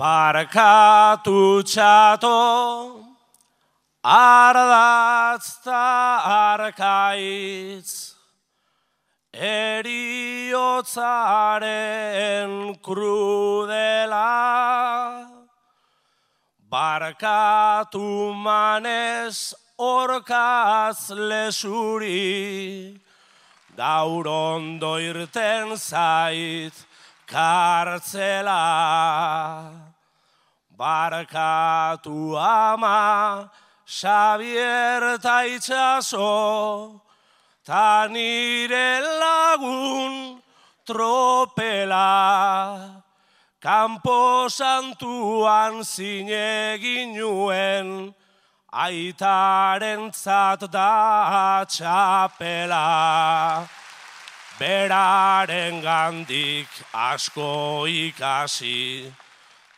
Barkatu txato, ardatz ta arkaitz, eriotzaren krudela. Barkatu manez orkaz lesuri, gaur ondo irten zait kartzela. Barkatu ama, Xabier ta Itxaso, ta nire lagun tropela. Kanpo santuan zinegin nuen, aitarentzat da txapela. Beraren gandik asko ikasi,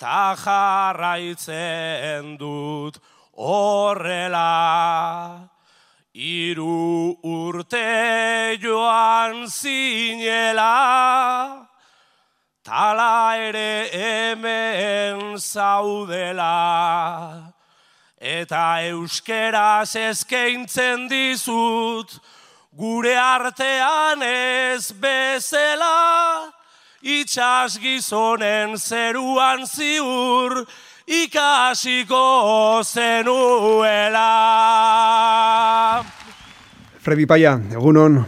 ta jarraitzen dut horrela. 3 urte joan zinela, tala ere hemen zaudela. Eta euskeraz eskaintzen dizut, gure artean ez bezala. Itxas gizonen zeruan ziur, ikasiko zenuela. Fredi Paia, egunon.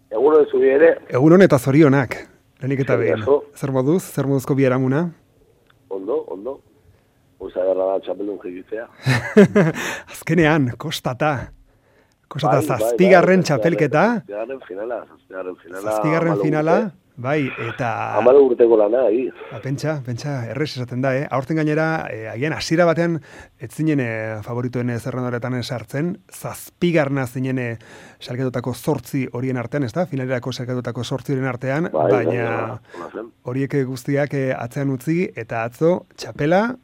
Egunon zuri ere. Egunon eta zorionak. Lehenik eta behin. Zer moduz? Zer moduzko biharamuna? Ondo. Usa garra da txapeldun jegitzea. Azkenean, kostata zazpigarren txapelketa. Zazpigarren finala. Bai, eta... 10 urteko lana, Pentsa, errez esaten da, Aurten gainera, agian hasiera batean, ez zinen favoritoen zerrendoretan sartzen, zazpigarna zinen salketutako 8 horien artean, ez da? Finalerako salketutako 8 horien artean, baina horiek guztiak atzean utzi, eta atzo, txapela,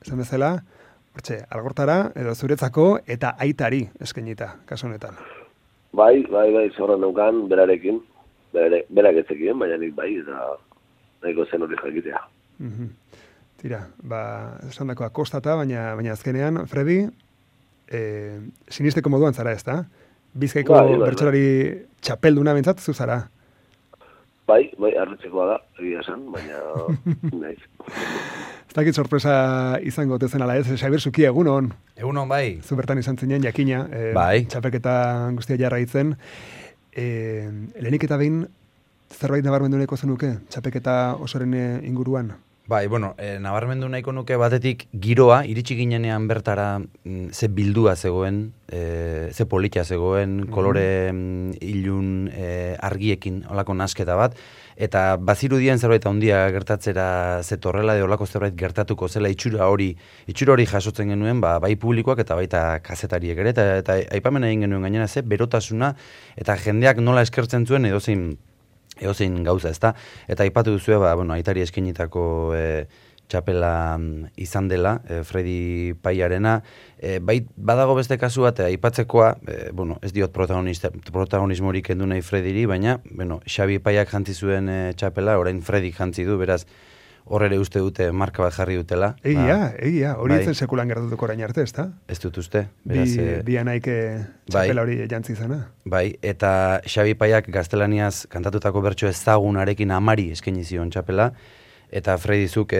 esan bezala, hortxe, algortara, edo zuretzako, eta aitari eskainita, kasu honetan. Bai, zorran neukan, berarekin. Berak etzekien, baina nik bai, eta nahiko zen hori jakitea. Tira, esan dakoa kostata, baina azkenean, Fredi, sinisteko moduan zara ez da? Bizkaiko bertsolari txapelduna bentsat, zu zara? Bai, arretzekoa da, egia esan, baina naiz. Ez dakit sorpresa izango tezen ala ez, Xabier Zuki, egunon. Egunon, bai. Zu bertan izan zinen, jakina, txapelketa guztia jarra itzen. Lehenik eta behin zerbait nabarmendu nahiko zenuke txapelketa osoren inguruan? Bai, nabarmendu nahiko nuke batetik giroa, iritsi ginenean bertara ze bildua zegoen, ze politia zegoen, kolore ilun argiekin, olako nasketa bat, eta bazirudien zerbait handia gertatzera zetorrela, edo olako zerbait gertatuko zela itxura hori jasotzen genuen, bai publikoak eta baita kazetariek ere, eta aipamen egin genuen gainera ze berotasuna, eta jendeak nola eskertzen zuen edozein gauza, ezta? Eta aipatu duzue, aitari eskenitako txapela izan dela, Fredi Paiarena. Badago beste kasu bat, aipatzekoa, ez diot protagonismorik kendu nahi Frediri, baina, Xabi Paiak jantzi zuen txapela, orain Fredi jantzi du, beraz, hor ere uste dute marka bat jarri dutela. Egia, hori etzen sekulan gertatuko orain arte, ezta? Ez dut uste. Bi anaik txapela hori jantzi izana. Bai, eta Xabi Paiak gaztelaniaz kantatutako bertso ezagunarekin amari eskaini zion txapela, eta Fredi zuk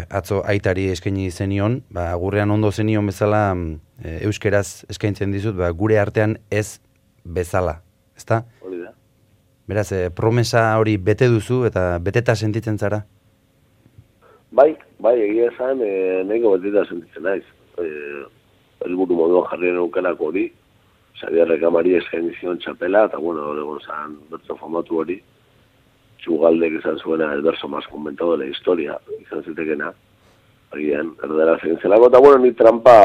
atzo aitari eskaini zenion, gurrean ondo zenion bezala euskeraz eskaintzen dizut, gure artean ez bezala, ezta? Hori da. Beraz, promesa hori bete duzu eta beteta sentitzen zara? Bai, egia esan, nahiko beteta sentitzen naiz. Helburu moduan jarrien eukelako hori, Xabierrek amari eskaini zion txapela, eta egon zan bertso famatu hori, Txugaldek izan zuena el verso más comentado de la historia, izan zitekena, agian, erdera zein zelako, eta ni trampa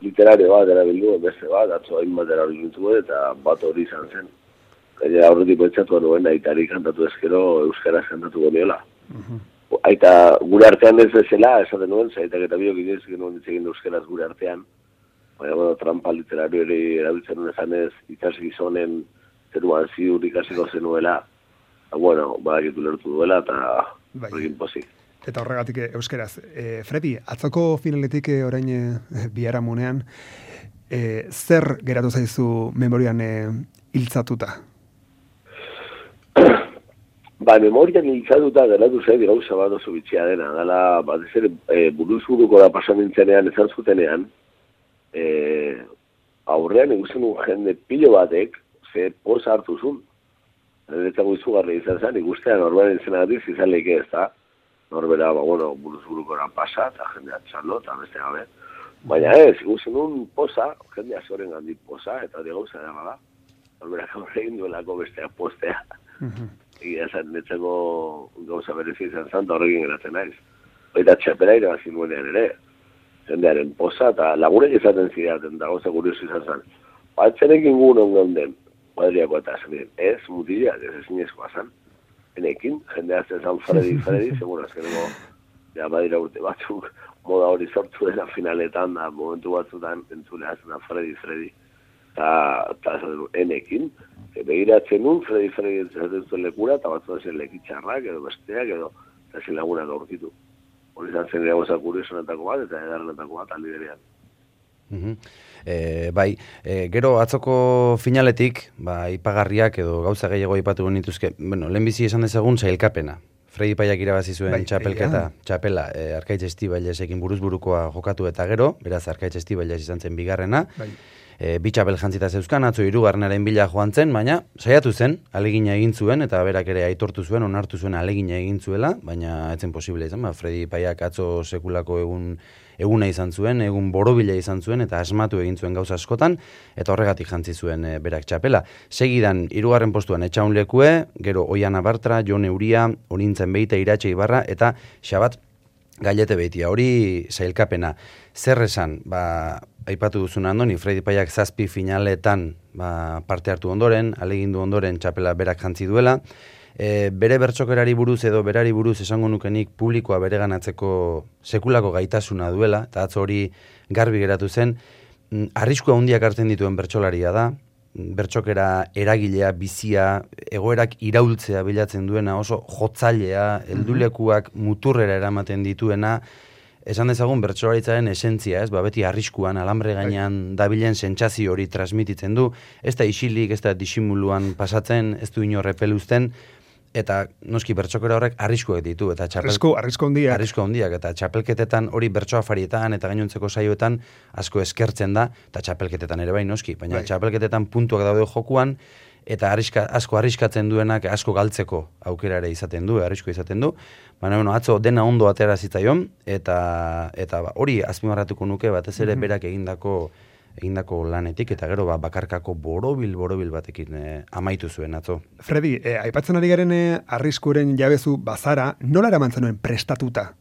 literario bat erabildu, beste bat, atzo hainbat erabildu eta bat hori izan zen. Gainera aurretik pentsatu nuen aitari kantatu ezkero euskaraz kantatu goniola. Aita gure artean ez bezala, esaten nuen, zaitak eta biok inoiz genuen ditzegin euskaraz gure artean, baina trampa literario hori erabiltzen nuen ezanez, itxas gizonen zeruan ziur ikasiko zenuela, badakitu lertu duela eta horrekin pozik. Eta horregatik euskeraz. Fredi, atzoko finaletik orain biharamunean, zer geratu zaizu memorian hiltzatuta? Memorian hiltzatuta geratu zait gauza bat oso bitxia dena. Dala, batez ere, buruz-buruko da pasan nintzenean, esan zutenean, aurrean ikusten un jende pilo batek, ze posa hartu zuen. Niretzako izugarri izan zen, ikustean norberen zenagatik izan leike ez da. Norbera, buruz-burukora pasa, eta jendea txalo, eta beste gabe. Baina ez, ikusten un posa, jendea zoren gandik posa, eta hori gauza dela da. Norbera gaur egin duelako bestea postea. Egia zen, netzeko gauza berezi izan zen, eta horrekin geratzen naiz. Baita txapela irabazi nuenean ere. Jendearen posa, eta lagurek izaten zidaten, da gauza kuriosu izan zen. Batzenekin guen ongan den, kuadriako eta zen, ez mutilak, ez ezinezkoa zen. Enekin, jendea zen Fredi, segun azkeneko, ja badira urte batzuk, moda hori sortu dena finaletan, da momentu batzutan entzulea zen Fredi. Eta enekin, begiratzen nun, Fredi entzaten zuen lekura, eta batzutan zen lekitxarrak, edo besteak, edo eta zen lagunak aurkitu. Hori izan zen ere gauza kuriosunetako bat, eta edarrenetako bat aldi berean. Gero atzoko finaletik, ipagarriak edo gauza gehiago aipatu nituzke, lehenbizi esan dezagun sailkapena. Fredi Paiak irabazi zuen txapela Arkaitz Estibailesekin buruz-burukoa jokatu eta gero, beraz Arkaitz Estibailes izan zen bigarrena. Bi txapel jantzita zeuzkan, atzo hirugarrenaren bila joan zen, baina saiatu zen, alegina egin zuen, eta berak ere aitortu zuen, onartu zuen alegina egin zuela, baina etzen posible izan, Fredi Paiak atzo sekulako eguna izan zuen, egun borobila izan zuen, eta asmatu egin zuen gauza askotan, eta horregatik jantzi zuen berak txapela. Segidan, hirugarren postuan Etxaun Lekue, gero Oiana Bartra, Jon Euria, Onintzen Beita, Iratxe Ibarra, eta Xabat Gailete Beitia. Hori sailkapena. Zer esan, aipatu duzun andoni, Fredi Paiak 7 finaletan parte hartu ondoren, alegindu ondoren txapela berak jantzi duela, bere bertsokerari buruz edo berari buruz esango nukenik publikoa bereganatzeko sekulako gaitasuna duela, eta atzo hori garbi geratu zen, arriskua handiak hartzen dituen bertsolaria da, bertsokera eragilea, bizia, egoerak iraultzea bilatzen duena, oso jotzailea, heldulekuak muturrera eramaten dituena, esan dezagun bertsolaritzaren esentzia, ez? Beti arriskuan, alambre gainean dabilen sentsazio hori transmititzen du, ez da isilik, ez da disimuluan pasatzen, ez du inor repeluzten, eta noski bertsokera horrek arriskuak ditu, eta arrisku handiak, eta txapelketetan hori bertsoafarietan eta gainontzeko saioetan asko eskertzen da, eta txapelketetan ere bai noski, baina txapelketetan puntuak daude jokuan, eta asko arriskatzen duenak asko galtzeko aukera ere izaten du, arrisko izaten du, baina atzo dena ondo atera zitzaion, eta hori azpimarratuko nuke batez ere berak egindako lanetik, eta gero bakarkako borobil batekin amaitu zuen atzo. Fredi, aipatzen ari garen arriskuren jabezu bazara, nola eraman zenuen prestatuta?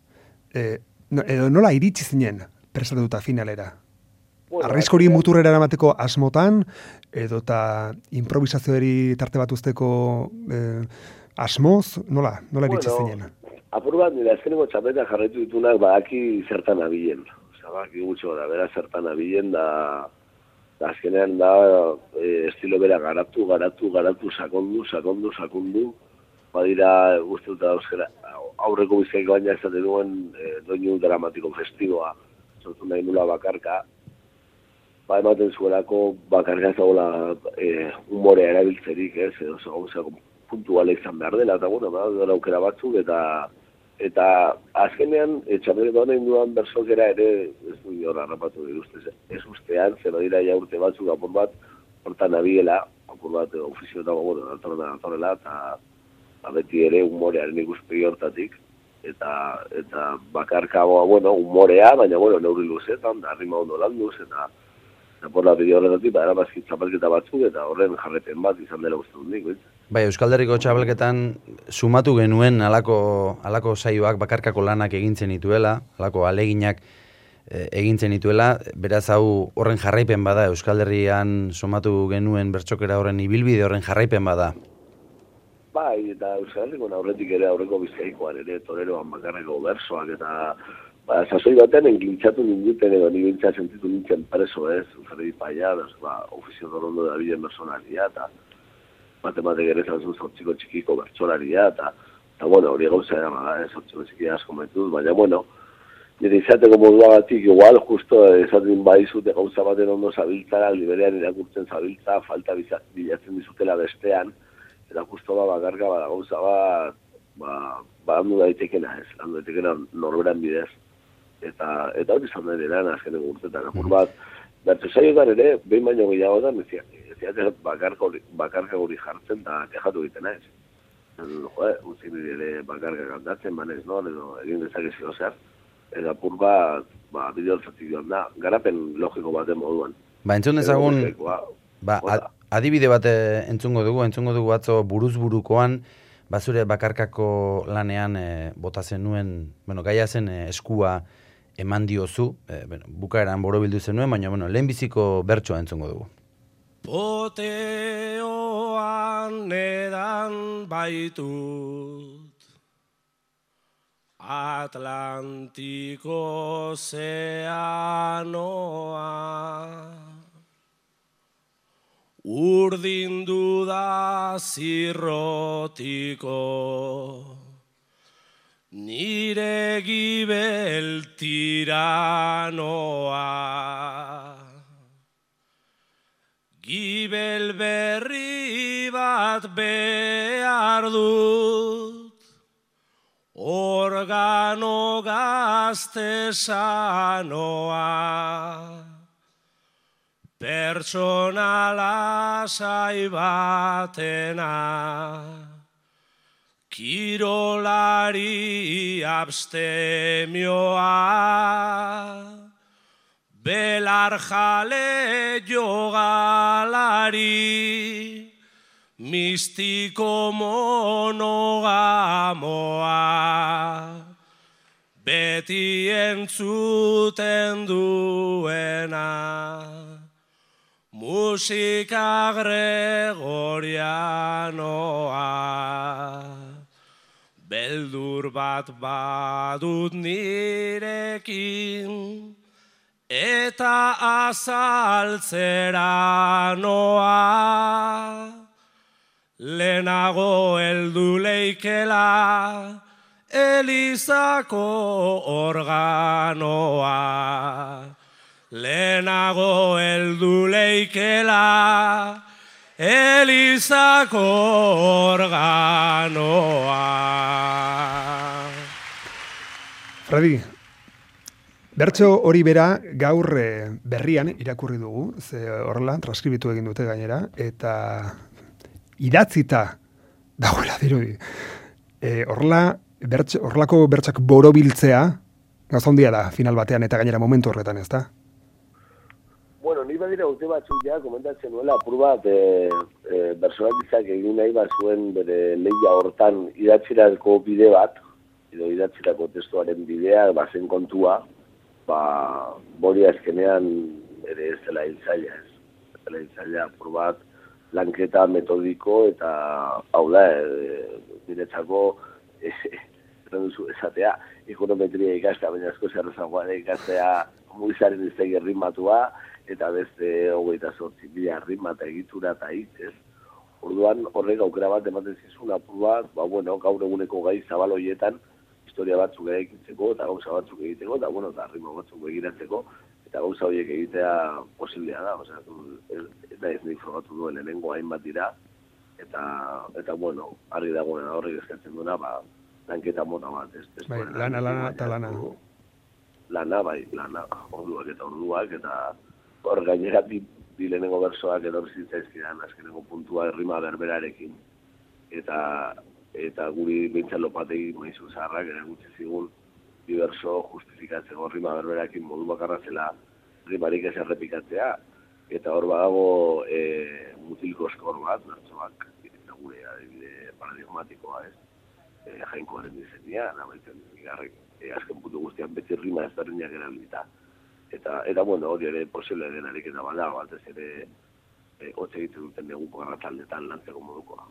Edo nola iritsi zinen prestatuta finalera? Arriskuri muturrera eramateko asmotan, edo eta improvisazioari tarte bat usteko asmoz, nola iritsi zinen? Apur bat, nire azkeneko txapeta jarraitu ditunak badaki zertan abilen. Badaki gutxo da, bera zertan abilen da azkenean da estilo bera garatu, sakondu. Badira guzti dut euskera aurreko bizkaiko baina ezaten duen doinu dramatiko festiboa, sortu nahi nula bakarka, ematen zuelako bakarka zagoela humorea erabiltzerik, ez, edo gauza puntuala izan behar dela, eta dara aukera batzuk, eta azkenean, txapelketa honen duan bersokera ere, ez du hor harrapatu diruzte, ez ustean, zer dira ja urte batzuk apur bat, hortan abiela, apur bat ofizioetako, datorrela, eta beti ere humorearen ikuspegi hortatik, eta bakarka, humorea, baina, neurri luzetan, da rima ondo landuz, eta por la bideo horretatik, erabazki txapelketa batzuk, eta horren jarrepen bat izan dela uste dut nik, Euskal Herriko txapelketan sumatu genuen alako saioak bakarkako lanak egintzen dituela, alako aleginak egintzen dituela, beraz hau horren jarraipen bada, Euskal Herrian sumatu genuen bertsokera horren ibilbide horren jarraipen bada. Eta Euskal Herriko aurretik ere aurreko bizkaikoan ere toreroan bakarreko bersoak, eta sasoi batean engintzatu ninduten edo nibintza sentitu nintzen preso, ez? Fredi Paia, ofizio dorondo da bilen personalia, eta matematik ere zantzun zortziko txikiko bertsolaria, eta Eta, bueno, hori gauza da, sortxe beziki asko metuz, baina, bueno, nire izateko moduagatik, igual, justo, esaten baizute gauza baten ondo zabiltzara, liberean irakurtzen zabiltza, falta bilatzen dizutela bestean, eta justo bakarka, gauza bat, handu daitekena ez, handu daitekena norberan bidez. Eta hori izan da ere azkenen urtetan, apur bat, bertu saioetan ere, behin baino gehiagotan, ez bakarka guri jartzen, eta kejatu egiten ez. Utzi nire ere bakarka kantatzen, banez, no? Edo egin dezakezio zer. Eta apur bat, bideoltzatik joan da, garapen logiko baten moduan. Entzun dezagun, adibide bat entzungo dugu atzo buruz-burukoan, zure bakarkako lanean bota zenuen, gaia zen eskua eman diozu, bukaeran borobildu zenuen, baina lehenbiziko bertsoa entzungo dugu. Poteoan edan baitut Atlantiko ozeanoa urdindu da zirrotiko nire gibel tiranoa. Gibel berri bat behar dut, organo gazte sanoa. Pertsona lasai batena, kirolari abstemioa, belar jale jogalari, mistiko monogamoa, beti entzuten duena, musika gregorianoa. Beldur bat badut nirekin, eta azaltzera noa. Lehenago heldu leikela, Elizako organoa. Lehenago heldu leikela, Elizako organoa. Fredi, bertso hori bera gaur berrian irakurri dugu, ze horrela transkribitu egin dute gainera, eta idatzita dagoela dirudi. Horrelako bertsak borobiltzea, gauza handia da final batean eta gainera momentu horretan, ez da? Bueno, ni badira urte batzuk ja, komentatzen nuela, apur bat, bersolaritzak egin nahi bat zuen bere lehia hortan idatzirako bide bat, edo idatzirako testuaren bidea, bazen kontua, bori azkenean ere ez dela hiltzaila ez. Ez dela hiltzaila, apur bat, lanketa metodiko eta, hau da, niretzako, esatea, ekonometria ikastea, baina asko zerrezagoa ikastea muizaren iztegi ritmatua, eta beste 28.000 ritmata egitura eta hitz. Orduan horrek aukera bat ematen zizun apur bat, gaur eguneko gai zabal horietan historia batzuk egitzeko eta gauza batzuk egiteko, eta ritmo batzuk begiratzeko, eta gauza horiek egitea posiblea da. Eta ez nik frogatu duen lehenengo hainbat dira, eta argi dagoen horrek eskatzen duena, lanketa mota bat. Lana eta lana. Lana, orduak, eta hor gainera bi lehenengo bersoak edo bizitzaizkidan, azkenengo puntua errima berberarekin. Eta guri behintzat lopategi maizu zaharrak ere gutxi zigun bi berso justifikatzeko rima berberarekin modu bakarra zela rimarik ez errepikatzea. Eta hor badago mutilko eskor bat, bertsoak, eta gure adibide paradigmatikoa ez. Jainkoaren dizenia, nabaitzen bigarrek, azken puntu guztian beti rima ezberdinak erabilita. Eta hori ere posible denarik eta bada, batez ere hotz egiten duten neguko garrataldetan lantzeko modukoa.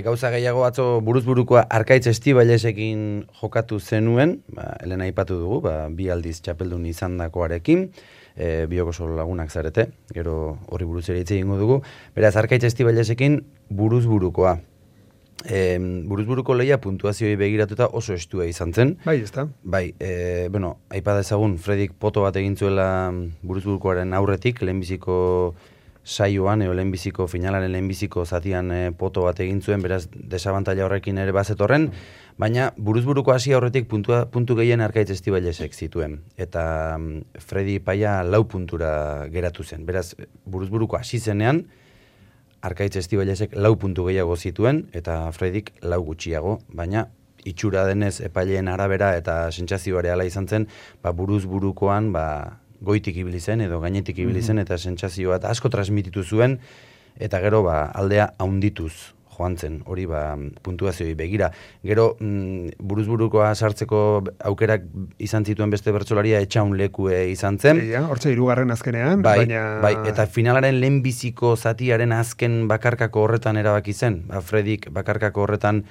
Gauza gehiago atzo buruz-burukoa Arkaitz Estibailesekin jokatu zenuen, Elena aipatu dugu, bi aldiz txapeldun izandakoarekin, biok oso lagunak zarete, gero horri buruz ere hitz egingo dugu. Beraz, Arkaitz Estibailesekin buruz-burukoa. buruzburuko lehia puntuazioi begiratuta oso estua izan zen. Bai, ez da. Bai, aipa dezagun, Fredik poto bat egin zuela buruzburukoaren aurretik, lehenbiziko saioan, lehenbiziko finalaren lehenbiziko zatian poto bat egin zuen, beraz desabantaila horrekin ere bazetorren, baina buruzburuko hasi aurretik puntu gehien Arkaitz Estibailesek zituen. Eta Fredi Paia 4 puntura geratu zen. Beraz, buruzburuko hasi zenean, Arkaitz Estibailesek 4 puntu gehiago zituen, eta Fredik 4 gutxiago, baina itxura denez epaileen arabera eta sentsazioa hala izan zen, buruzburukoan goitik ibili zen edo gainetik ibili zen eta sentsazioa eta asko transmititu zuen, eta gero aldea haundituz joan zen, hori puntuazioi begira. Gero buruzburukoa sartzeko aukerak izan zituen beste bertsolaria Etxaun Lekue izan zen. Hortxe 3. azkenean, baina... Bai, eta finalaren lehenbiziko zatiaren azken bakarkako horretan erabaki zen. Fredik bakarkako horretan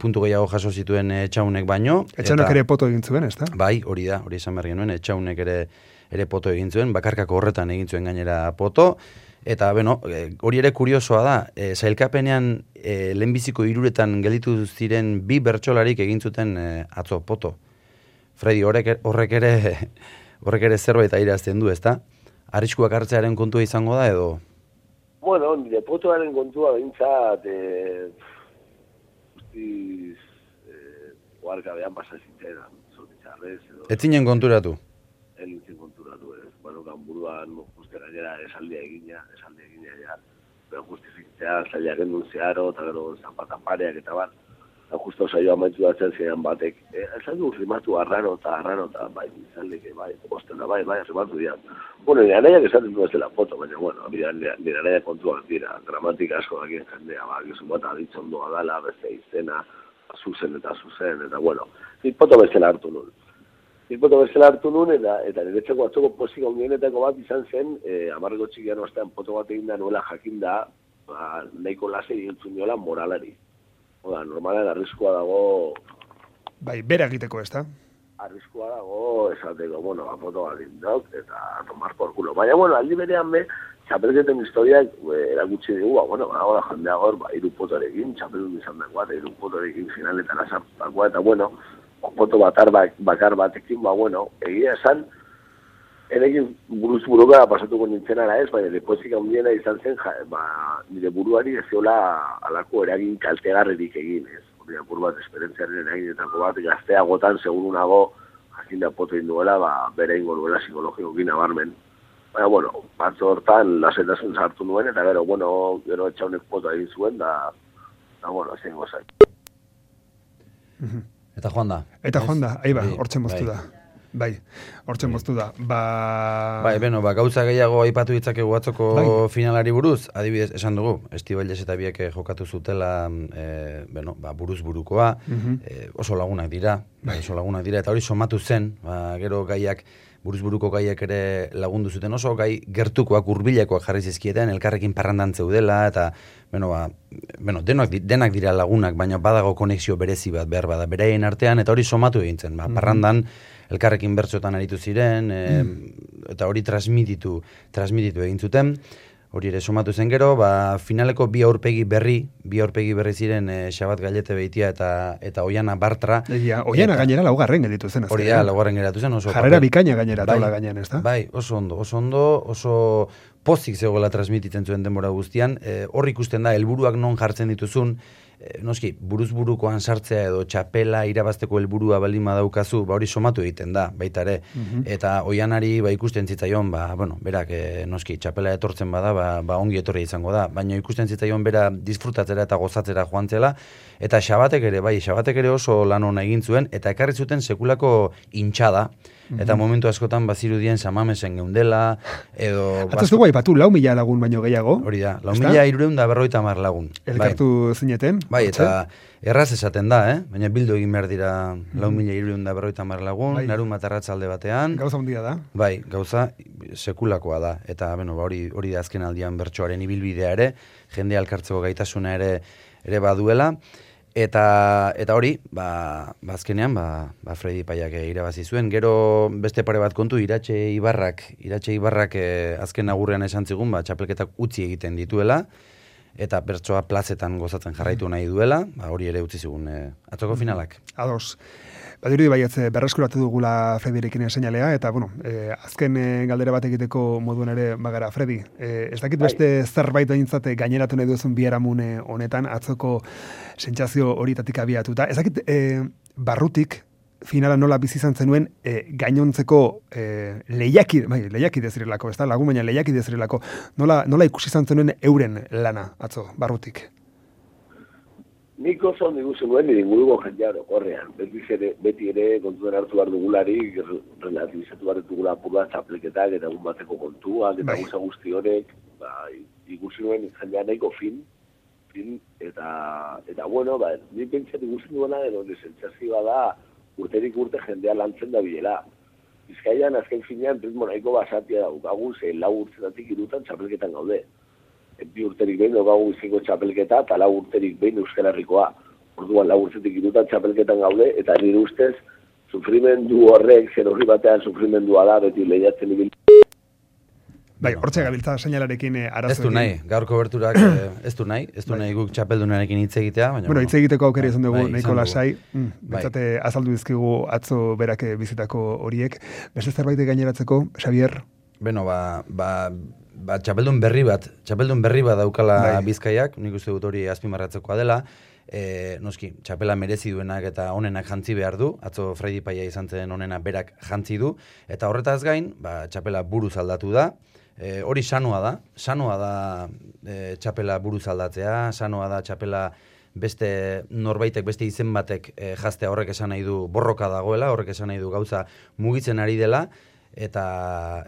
puntu gehiago jaso zituen Etxaunek baino. Etxaunek ere poto egin zuen, ez da? Bai, hori esan behar genuen, Etxaunek ere poto egin zuen, bakarkako horretan egin zuen gainera poto. Eta, hori ere kuriosoa da, sailkapenean lehenbiziko 3 gelditu ziren 2 bertsolarik egin zuten atzo poto. Fredi, horrek ere zerbait airazten du, ezta? Arriskuak hartzearen kontua izango da, edo? Bueno, nire potoaren kontua behintzat, oarkabean pasazitzen, zortitzarrez, edo... Ez zinen konturatu? Ez nintzen konturatu, ez. Buruan gainera esaldia egina ja, pero justifikitzea, zailak endun zeharo, eta gero zanpatan pareak eta bat, eta justo saioa maitu datzen ziren batek, esan du rimatu arraro eta bai, izaldeke, bai, ostena, bai, rimatu dira. Bueno, nire anaiak esaten du ez dela foto, baina, bueno, nire anaiak kontuak dira, gramatika asko dakien jendea, gizun bat aditzen doa dala, beste izena, zuzen, eta bueno, nire foto bezala hartu nuen. Poto bezala hartu nuen, eta niretzeko atzoko pozik ondienetako bat izan zen, 10 txikian ostean poto bat egin da nuela jakinda, nahiko lase egintzun niola moralari. Oda, normalen arriskua dago... Bai, bera egiteko, ez da? Arriskua dago, esateko, poto bat indok, eta tomar por culo. Baina, aldi berean txapelketen historiak erakutsi dugu, ahora jendea gor, 3 potorekin, txapelun izan dagoa, eta 3 potorekin finaletara sartakoa, eta poto bakar batekin, egia esan, erekin buruz-buruka pasatuko nintzen ara ez, baina depozik handiena izan zen, nire buruari ez ziola alako eragin kaltegarrerik egin, ez. Hori apur bat, esperientziaren eraginetako bat, gazteagotan, segurunago, jakinda poto induela, bere ingo duela psikologikokin nabarmen. Baina, batzo hortan, lasetasun sartu nuen, eta gero Etxaunek poto egin zuen, zein gozai. Eta joan da. Hortzen moztu da. Bai, hortzen moztu da. Bai, gauza gehiago aipatu ditzakegu atzoko finalari buruz, adibidez, esan dugu, Estibailes eta biek jokatu zutela, buruz-burukoa, oso lagunak dira, eta hori somatu zen, gero gaiak, buruz-buruko gaiak ere lagundu zuten oso, gai gertukoak, hurbilekoak jarri zizkieten, elkarrekin parrandan zeudela, eta, denak dira lagunak, baina badago konexio berezi bat behar bada, beraien artean, eta hori somatu egintzen, parrandan, elkarrekin bertsotan aritu ziren, eta hori transmititu egin zuten, hori ere somatu zen gero, finaleko 2 aurpegi berri ziren Xabat Gallete Beitia eta Oiana Bartra. Oiana gainera 4. gelditu zen. Hori da, 4. geratu zen. Jarrera bikaina gainera, taula gainean, ez da? Bai, oso ondo, oso pozik zegoela transmititzen zuen denbora guztian. Hor ikusten da, helburuak non jartzen dituzun, noski, buruz-burukoan sartzea edo txapela irabazteko helburua baldin badaukazu, hori somatu egiten da, baita ere. Eta Oianari ikusten zitzaion, berak noski txapela etortzen bada, ongi etorri izango da, baina ikusten zitzaion bera disfrutatzera eta gozatzera joan zela, eta Xabatek ere oso lan ona egin zuen, eta ekarri zuten sekulako intxada, eta momentu askotan bazirudien samamesen geundela, edo... Ataz dugu aipatu, 4.000 lagun baino gehiago. Hori da, 4.350 lagun. Elkartu zineten. Bai, eta erraz esaten da, baina bildu egin behar dira 4.350 lagun, larun bat arratzalde batean. Gauza handia da. Bai, gauza sekulakoa da. Eta hori da azken aldian bertsoaren ibilbidea ere, jende alkartzeko gaitasuna ere baduela. Eta hori, azkenean, Fredi Paiak irabazi zuen. Gero beste pare bat kontu, Iratxe Ibarrak azken agurrean esan zigun, txapelketak utzi egiten dituela, eta bertsoa plazetan gozatzen jarraitu nahi duela, hori ere utzi zigun atzoko finalak. Ados. Badirudi baietz berreskuratu dugula Fredirekin seinalea, eta, bueno, azken galdera bat egiteko moduan ere bagara, Fredi. Ez dakit beste zerbait behintzat gaineratu nahi duzun biharamune honetan, atzoko sentsazio horitatik abiatuta. Ez dakit barrutik, finala nola bizi izan zenuen gainontzeko lehiaki dezirelako, ez da? Lagun baina lehiaki dezirelako. Nola ikusi izan zenuen euren lana, atzo, barrutik? Nik oso ondo ikusi nuen nire inguruko jendea orokorrean. Beti ere kontuan hartu behar dugularik, relativizatu behar dugula apurra txapelketak eta egun bateko kontuak eta guzti horrek, ikusi nuen jendea nahiko fin eta bueno, nik pentsat ikusi nuena nire sentsazioa da urterik urte jendea lantzen da bilela. Bizkaian azken finean ritmo nahiko basatia daukagu, 4 urtetatik 3 txapelketan gaude. 2 urterik behin daukagu Bizkaiko txapelketa eta 4 urterik behin Euskal Herrikoa. Orduan 4 urtetik 3 txapelketan gaude eta nire ustez sufrimendu horrek, zer horri batean sufrimendua da beti lehiatzen ibil. Bai, hortxe gabiltza seinalarekin arazo. Ez du nahi, gaur koberturak ez du nahi guk txapeldunarekin hitz egitea. Baina, bueno, hitz egiteko aukera izan dugu, nahiko lasai. Bentsate azaldu dizkigu atzo berak bizitako horiek. Beste zerbait gaineratzeko, Xavier? Beno, txapeldun berri bat daukala Bizkaiak, nik uste dut hori azpimarratzekoa dela. Noski, txapela merezi duenak eta onenak jantzi behar du, atzo Fredi Paia izan zen onena berak jantzi du, eta horretaz gain, txapela buruz aldatu da. Hori sanoa da txapela buruz aldatzea, sanoa da txapela beste norbaitek, beste izen batek jaztea, horrek esan nahi du borroka dagoela, horrek esan nahi du gauza mugitzen ari dela, eta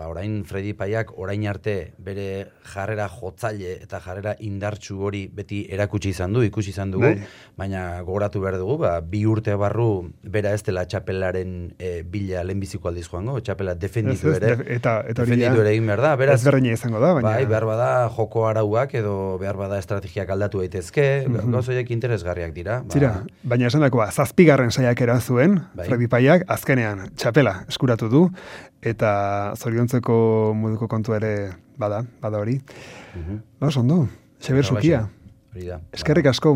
orain Fredi Paiak orain arte bere jarrera jotzaile eta jarrera indartsu hori beti erakutsi izan du, ikusi izan dugu, baina gogoratu behar dugu, 2 urte barru bera ez dela txapelaren bila lehenbiziko aldiz joango, txapela defenditu ere, defenditu ere egin behar da, beraz, ezberdina izango da, baina behar bada joko arauak edo behar bada estrategiak aldatu daitezke, gauzoiek interesgarriak dira. Baina esan dakoa, 7. saiakera zuen, Fredi Paiak azkenean txapela eskuratu du, eta zoriontzeko moduko kontu ere bada hori. Ondo, Xabier Sukia. Eskerrik asko.